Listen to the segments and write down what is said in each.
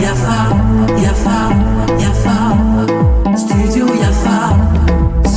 Yafa, Yafa, Yafa, Studio Yafa.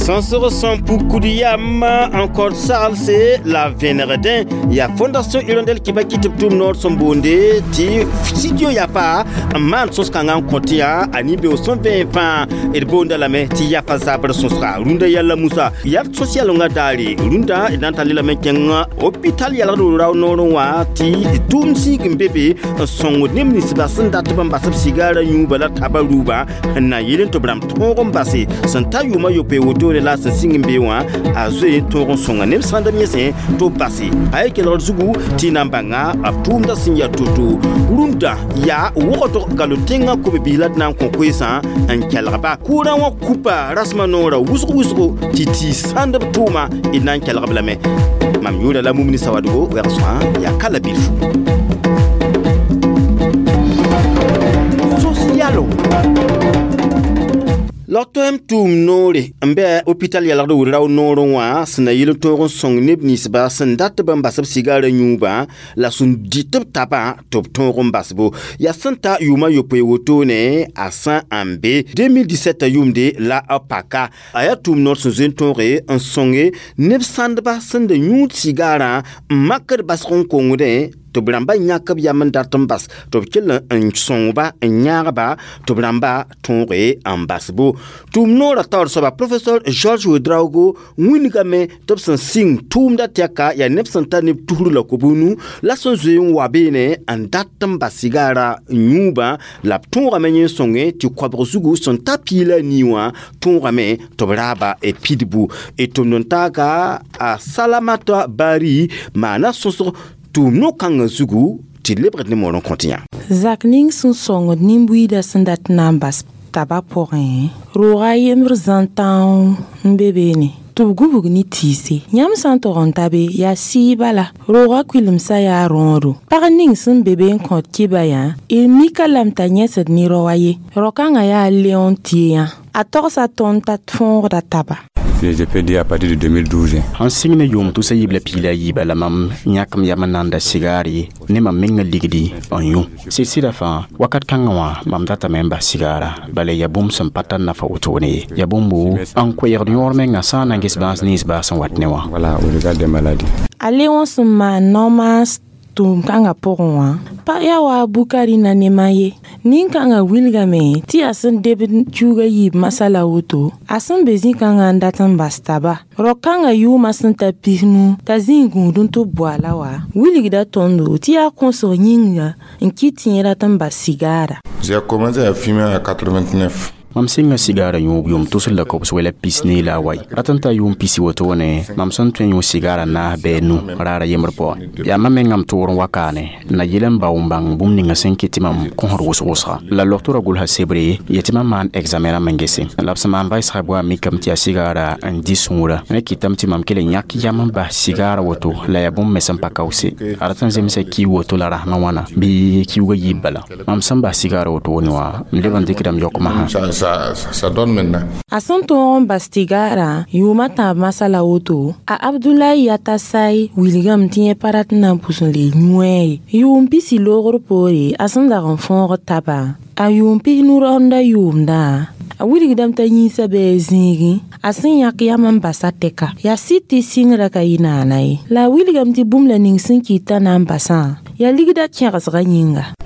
Sõsg sẽn pukud yam n kõt saglse la vẽnegdẽ yaa Fondation Hirondelle Kibaki tɩ b tʋm noor sẽn boonde tɩ studio Yafa n maan sõs-kãngã n kõt yã a nin-beoog sẽn vẽ fãa d boonda lame tɩ Yafa zabr sõsga rũndã yalla Musa yaa sõs yalengã daare rũndã d na n tall lame kẽng hôpital yalgd rao noorẽ wã tɩ tʋʋm zĩig n be be n sõngd neb ninsbã sẽn dat b n bas b sigaarã yũuba la taba ruubã n na yɩl n tɩ b rãmb tõog n base sẽn ta yʋʋmã yopoe wotone la sẽn sɩng n be wã a zoe n tõog n sõnga neb sãnd b yẽsẽ tɩ b base pa ye kelgr zugu tɩ y na n bãnga b tʋʋmdã sẽn yaa to-to rũndã yaa wogdg galo tẽngã kobe-biis la d na n kõ koeesã n kelgba kʋʋrã wã kupa rasmã noorã wʋsg wʋsgo tɩ tɩ sãnd b tʋʋma d na n kelg b lame mam yʋʋra la Mumini Sawadogo wɛg-sõa yaa ka la bilfu sos yalo Lɔg-toɛm tʋʋm noore n bɩ hôpital yalgd wʋ-rao noorẽ wã sẽn na yɩl n tõog n sõng neb ninsba sẽn dat b n bas b sigaarã yũubã la sẽn dɩt b tabã tɩ b tõog n basbo yaa sẽn ta yʋʋmã yopoe wotone a sã n be 2017 yʋʋmde la b paka a yaa tʋʋm noor sẽn zoe n tõoge n sõnge neb sãndba sẽn da yũud sigaarã n makd basg n kongdẽ tɩ b rãmba yãk b yam n dat n bas tɩ b kell n sõngba n yãagba tɩ b rãmba tõoge n basbo tʋʋm noorã taoor soaba professeur Georges Ouedraogo wĩnigame tɩ b sẽn sɩng tʋʋmda tɛka yaa neb sẽn tar neb tusr la kob-nu la sẽn zoe n wa beene n dat n bas sigaarã yũubã la b tõogame yẽ sõnge tɩ koabg zugu sẽn ta piig la nii wã tõogame tɩ b raaba pidbu d tʋmd n taaga a Salamata Bari maana sõsg tʋʋm no-kãngã zugu tɩ d lebgd ne moor n kõt yã. Zak ning sẽn sõngd nin-buiidã sẽn dat n na n bas taba pʋgẽ rooga yembr zãn-tão n be beene tɩ b gubg ne tiise yãmb sã n tog n ta be yaa sɩɩ bala rooga kʋɩlemsã yaa rõodo pag ning sẽn be be n kõt kɩba yã d mika lame t'a yẽsd ne rao a ye rao-kãngã yaa Leon Tieyã a togsa tõnd t'a fõogda taba. Je peux dire à partir de 2012. Sẽn sɩng ne yʋʋm tʋsa yiib la piig la yiiba la mam yãk m yam n nanda sigaar ye ne mam meng ligdi n yũ sɩd-sɩda fãa wakat kãngã wã mam datame n bas sigaara bala yaa bũmb sẽn pa tar nafa wotone ye yaa bũmbo n koɛɛgd yõor menga sã n na n ges bãas nins baas sẽn wat ne wã. Voilà, au regard des maladies. A Leon sẽn maan nao-maas tʋʋm kãngã pʋgẽ wã pag yaa wa a Bukari na nema ye nin-kãngã wilgame tɩ yaa sẽn debd kiuugã yiib masala woto a sẽn be zĩ-kãngã n dat n bas taba rao-kãngã yʋʋmã sẽn ta pisnu t'a zĩig gũud n tɩ b boala wa wilgda tõndo tɩ yaa kõsg yĩnga n kɩt tɩ yẽ rat n bas sigaara. J'ai commencé à fumer en 89. Mam sɩnga sigaarã yũub yʋʋm tʋsd la kobs wɛla pis ne la a wai rat n ta yʋʋm pisi wotone mam sẽn tõe n yũ sigaarã naas bɩ nu raara yembr pʋgẽ yaa mam mengã m tʋʋr n wa kaane n na yɩl n bao n bãng bũmb ninga sẽn kɩt tɩ mam kõsd wʋsg-wʋsga la logtorã gʋlsa sebre ye tɩ mam maan examen rãmb n gese la b sẽn maan vaɩsga goa mikame tɩ yaa sigaarã n dɩ sũurã rẽ kɩtame tɩ mam kell n yãk yam n bas sigaarã woto la yaa bũmb me sẽn pa kaoose a rat n zemsa ki woto la rasmã wãna bɩ kiuugã yiib bala mam sẽn bas sigaarã woto wone wã m leb n dɩkdame yokmã Ça, ça donne maintenant. A sẽn tõog n bas tigaarã yʋʋmã tãab masala woto a Abdulayi Yatasai wilgame tɩ yẽ pa rat n na n pʋs n le yũ-a ye yʋʋm pisi loogr poore a sẽn dag n fõogd tabã a yʋʋm pis nu-raoondã yʋʋmdã a wilgdame t'a yĩnsã bɩ a zĩigẽ a sẽn yãk yam n basa tɛka yaa sɩd tɩ sɩngrã ka yɩ naana ye la a wilgame tɩ bũmb la ning sẽn kɩt t'a na n basã yaa ligda kẽgsgã yĩnga.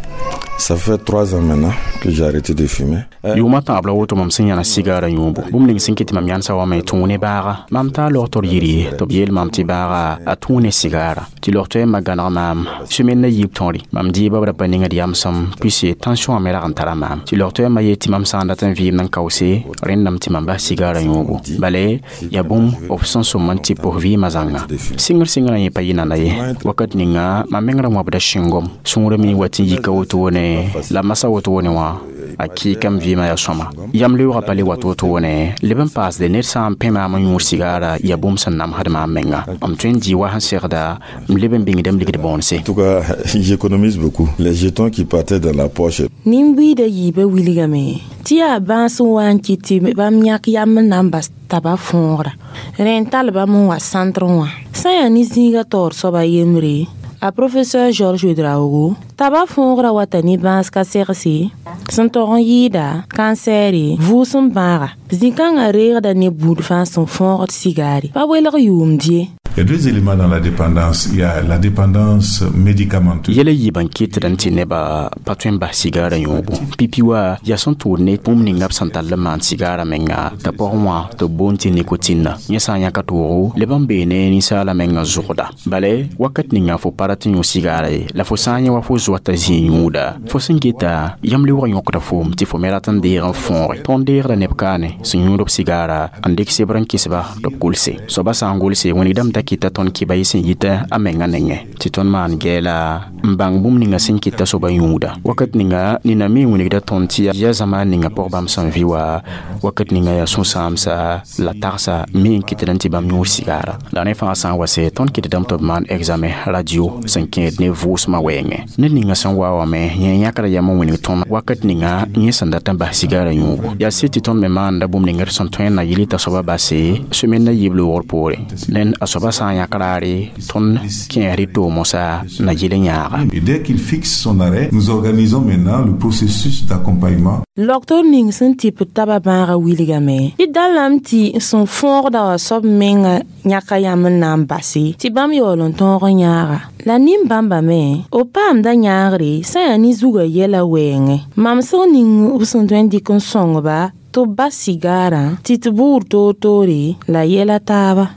Ça fait 3 ans maintenant que j'ai arrêté de fumer. Yʋʋmã tãab la woto mam sẽn yãna sigaarã yũubu bũmb ning sẽn kɩt tɩ mam yãnsa wame tũ ne baaga mam taa logtr yiri tɩ b yeel mam tɩ baaga a tũ ne sigaara tɩ logtoɛɛmã gãneg maam semaine la yiib tõre mam dɩɩbã b ra pa ningd yamsem puisque tension me rag n tara maam tɩ logtoɛɛmã yee tɩ mam sã n dat n vɩɩmd n kaoose rẽndame tɩ mam bas sigaarã yũubu bala yaa bũmb b sẽn sõm n tɩ pʋs vɩɩmã zãnga sɩngr sɩngrã yẽ pa yɩ nana ye wakat ninga mam meng ra wãbda sĩngom sũurã me wat n yika wotone la masa wotone wã a kɩɩkame vɩɩmã yaa sõma yam leoogã pa le wat wotone leb n paasde ned sã n pẽ maam n yũud sigaara yaa bũmb sẽn namsd maam menga m tõe n dɩ wa sẽn segda m leb n bĩngdame ligd bõonse. En tout cas, j'économise beaucoup. Les jetons qui partaient dans la poche. Nin-buiidã yiibã wilgame tɩ yaa bãas n wa n kɩt tɩ bãmb yãk yam n na n bas taba fõogra rẽ n tall bãmb n wa sãntrẽ wã sã n yaa ne zĩigã taoor soaba yembre A professeur Georges Ouedraogo taba fõogra wata ne bãas ka segse sẽn tog n yɩɩda kansɛɛre vʋʋsem bãaga zĩ-kãngã reegda ne buud fãa sẽn fõogd sigaare pa welg yʋʋmd ye. Il y a deux éléments dans la dépendance. Il y a la dépendance médicamenteuse. Yɛla yiibã n kɩtd n tɩ nebã pa tõe n bas sigaarã yõobo. Pipi wa yaa sẽn tʋʋd ne bũmb ninga b sẽn tall n maan sigaarã menga t'a pʋgẽ wã tɩ b boond tɩ nikotinna. Yẽ sã n yãka toogo leb n bee ne ninsaalã menga zʋgda. Bala wakat ninga fo pa rat n yõ sigaara ye la fo sã n yẽ wa fo zoata zĩig yũuda fo sẽn geta yãmb lebg yõkda foom tɩ fo me rat n deeg n fõoge. Tõnd deegda neb kaane sẽn yũud b sigaara n dɩk sebr n kɩsba tɩ b gʋlse. Soaba sã n gʋlse wĩnigdame da kɩta tõnd kɩba yɩ sẽn yita a menga nengẽ tɩ tõnd maan gɛɛla n bãng bũmb ninga sẽn kɩta soaba yũuda. Wakat ninga nina me wĩnigda tõnd tɩ yaa zamaan ninga pʋg bãmb sẽn vɩ wa wakat ninga yaa sũ-sãamsa la tagsa me n kɩtd n tɩ bãmb yũud sigaara. La rẽ fãa sã n wa se tõnd kɩtdame tɩ b maan examen radio sẽn kẽed ne vʋʋsmã wɛɛngẽ. Ned ninga sẽn wa wame yẽ yãkda yam n wĩnig tõnd wakat ninga yẽ sẽn dat n bas sigaarã yũugo. Yaa sɩd tɩ tõnd me maanda bũmb ning d sẽn tõe n na yɩl t'a soaba base semaine na yiib loogr poore. Ned a soaba sã n yãk raare tõnd kẽesd y toog-mosa na yɩl n yãaga. Et dès qu'il fixe son arrêt, nous organisons maintenant le processus d'accompagnement. Logtor ning sẽn tɩp taba bãagã wilgame tɩ da lame tɩ sẽn fõogda wã soab menga yãka yãmb n na n base tɩ bãmb yaool n tõog n yãaga. La nin-bãmba me b paamda yãagre sã yaa ne zugã yɛla wɛɛngẽ. Mamsg ning b sẽn tõe n dɩk n sõngba tɩ b bas sigaarã tɩ tɩ buud toor-toore la yɛla taaba.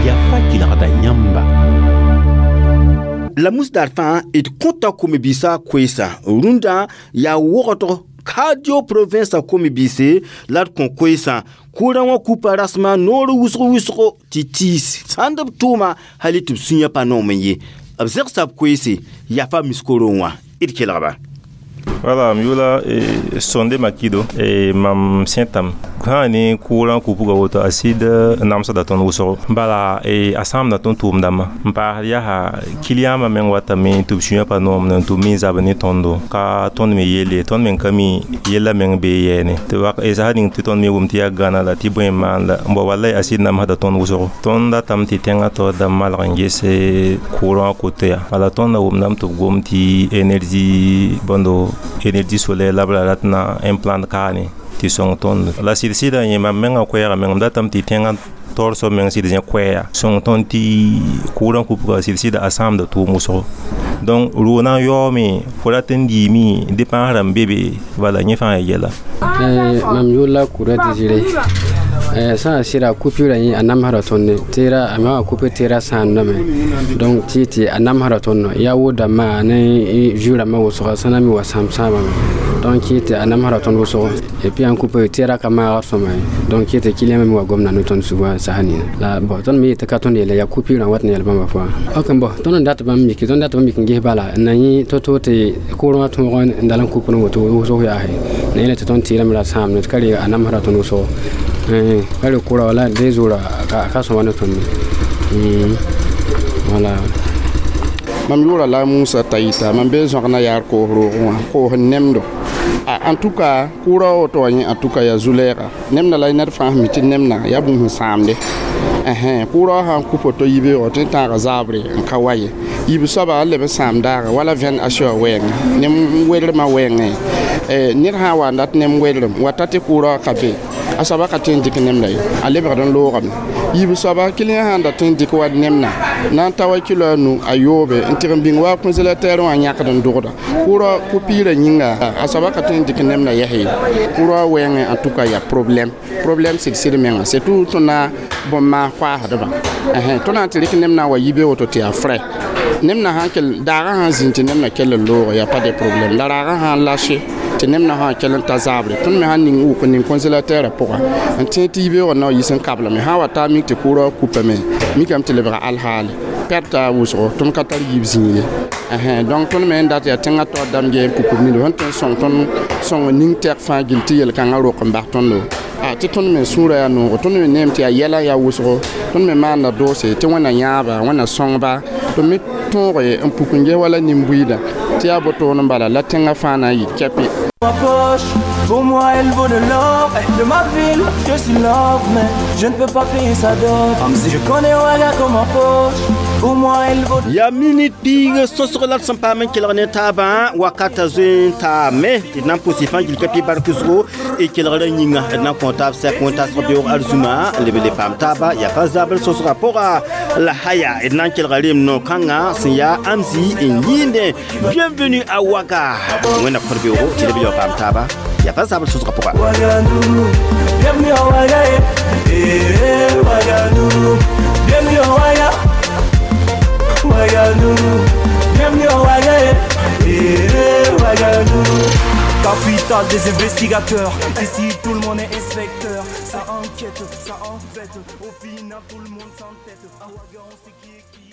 Yafa kelgda yãmba. La musdar fãa d kõta kom-biisã koeesã rũndã yaa wogdg Kadio province a kom-biise la d kõ koeesã kʋʋrã wã kupa rasmã noor wʋsg wʋsgo tɩ tiis sãnd b tʋʋma hali tɩ b sũyã pa noom n ye. B zɛgsa b koeese yafa miskorong wã d kelgba. Voilà, m yʋla Sonde Makido e mam sẽtam sã ne kʋʋrã kupuga woto a sɩd namsda tõnd wʋsgo bala a sãamda tõnd tʋʋm-dãmbã n paasd yaa kiliyãambã meng watame tɩ b sũyã pa noomd n tɩ b me zab ne tõndo ka tõnd me yelle tõnd meng ka mi yella meng bee yɛɛne tɩ sã ning tɩ tõnd me wʋm tɩ yaa gãna la tɩ bõe n maan la n bao wallay a sɩd namsda tõnd wʋsgo tõnd datame tɩ tẽngã taoor dãmb malg n ges kʋʋrã wã koto yaa bala tõnd na wʋmdame tɩ b gom tɩ énergie bõndo énergie solaire la b ra rat na implant kaane tɩ sõng tõnd la sɩd-sɩdã yẽ mam mengã koɛɛgã meng m datame tɩ tẽngã taoor soab meng sɩd zẽ koɛɛya sõng tõnd tɩ kʋʋrã kupga sɩd-sɩda a sãamda tʋʋm wʋsgo donc roo na n yaoome fo rat n diime dépensrã n be be bala yẽ fãa yaa yɛla. Mam yʋʋr la Kura Désiré. Sã n sɩda coupure yẽ a namsda tõnd tɩra a me wã coupe tɩra sãamdame donc tɩ tɩ a namsda tõnd yaa wo-dãmbã ne zu-rãmbã wʋsga sã na me wa sãam sãambame donc kɩ tɩ a namsda tõnd wʋsgo et puis ãn coupe tɩra ka maag sõma ye donc kɩ tɩ client me wa gomda ne tõnd sugã sasa nina la bon tõnd me yetɩ ka tõnd yeela yaa coupure n wat n yɛl bãmba pʋgã. Ok bon tõnd n dat bãmb miki tõnd dat bãmb mik n ges bala n na yẽ to-to tɩ kʋʋrã wã tõog n dal n coupe n woto wʋsg yaase na yẽla tɩ tõnd tɩɩrame ra sãamd tɩ ka re a namsda tõnd wʋsgo ka re kʋra wala 2 jours ka sõma ne tõnd voilà. Mam yʋʋra la Musa Taita mam bee zõgna yaar koos roogẽ wã koos n nemdo. En tout cas kʋʋrã woto wã yẽ en tout cas yaa zu-lɛɛga nemda la ned fãa sẽn mi tɩ nemna yaa bũmb sẽn sãamde kʋʋrã wã sãn kʋ poto yibeoogã tɩ tãaga zaabre n ka wa ye yiib soaba a leb n sãam daaga wala vẽn a wã wɛɛngẽ nem welrmã wɛɛngẽ ned sã n wa n dat nem welrem wata tɩ kʋʋrã wã ka be a soaba ka tõe n dɩk nemda ye a lebgd n loogame yiib soaba kiliyã sã n da tõe n dɩk wa nemna na n ta wa kilo a nu a yoobe n tɩg n bĩng wa kõ-zelateer wã yãkd n dogda kʋʋrã ku-piirã yĩnga a soaba ka tõe n dɩk nemna yɛs ye kʋʋrã wɛɛngẽ en tout cas yaa problème problème sɩd-sɩd menga surtout tõnd bõn-maas koaasdbã tõnd na n tɩ rɩk nemna wa yibe woto tɩ yaa frais nemna sãn kell daagã sãn zĩnd tɩ nemna kell n looge yaa pas de problème la raagã sãn lâche tɩ nemna sã kell n ta zaabre tõnd me sãn ning wʋk n ning congélateur pʋga n tẽ tɩ yibeoogã na wa yis n kablame sã n wa taa mik tɩ kʋʋrã wã kupame mikame tɩ lebga alhaale pɛrta wʋsgo tõnd ka tar yiib zĩig ye donc tõnd me n dat yaa tẽngã taoor dãmb gee n pukb nini sẽn tõe n sõng tõnd sõng ning tɛk fãa gill tɩ yel-kãngã rok n bas tõndo tɩ tõnd me sũurã yaa noogo tõnd me neem tɩ yaa yɛla yaa wʋsgo tõnd me maanda doose tɩ wẽnna yãaba wẽnna sõngba tɩ me tõoge n puk n ges wala nin-buiidã tɩ yaa botoon n bala la tẽngã fãa na n yɩ kɛpɩ. Poche. Pour moi, elle vaut de l'or. De ma ville, je suis love, mais je ne peux pas payer sa dot. Je connais Ouaga comme ma poche. Pour moi, elle vaut de Yaa minit piig sõsg la d sẽn paam n kelg ne taabã wakata zoe n taame tɩ d na n pʋs y fãa gil ka pɩ bark zugu y kelgrã yĩnga d na n kõ taab sɛk wẽn-tasg beoog arzũma n leb n le paam taaba yaa fa zabl sõsgã pʋga la haya d na n kelga reem no-kãngã sẽn yaa Amzi n yɩɩndẽ. Bienvenue à Ouaga, wẽnna kõr beoogo tɩ leb yaoog paam taaba yaa fa zabl sõsgã pʋga. Ouagadougou, bienvenue à Ouaga, eh, eh, Ouagadougou, bienvenue à Ouaga, Ouagadougou, bienvenue à Ouaga, eh, eh, Ouagadougou. Capitale des investigateurs, ici tout le monde est inspecteur. Ça enquête, ça embête, au final tout le monde s'entête. À Ouaga, on sait qui est qui.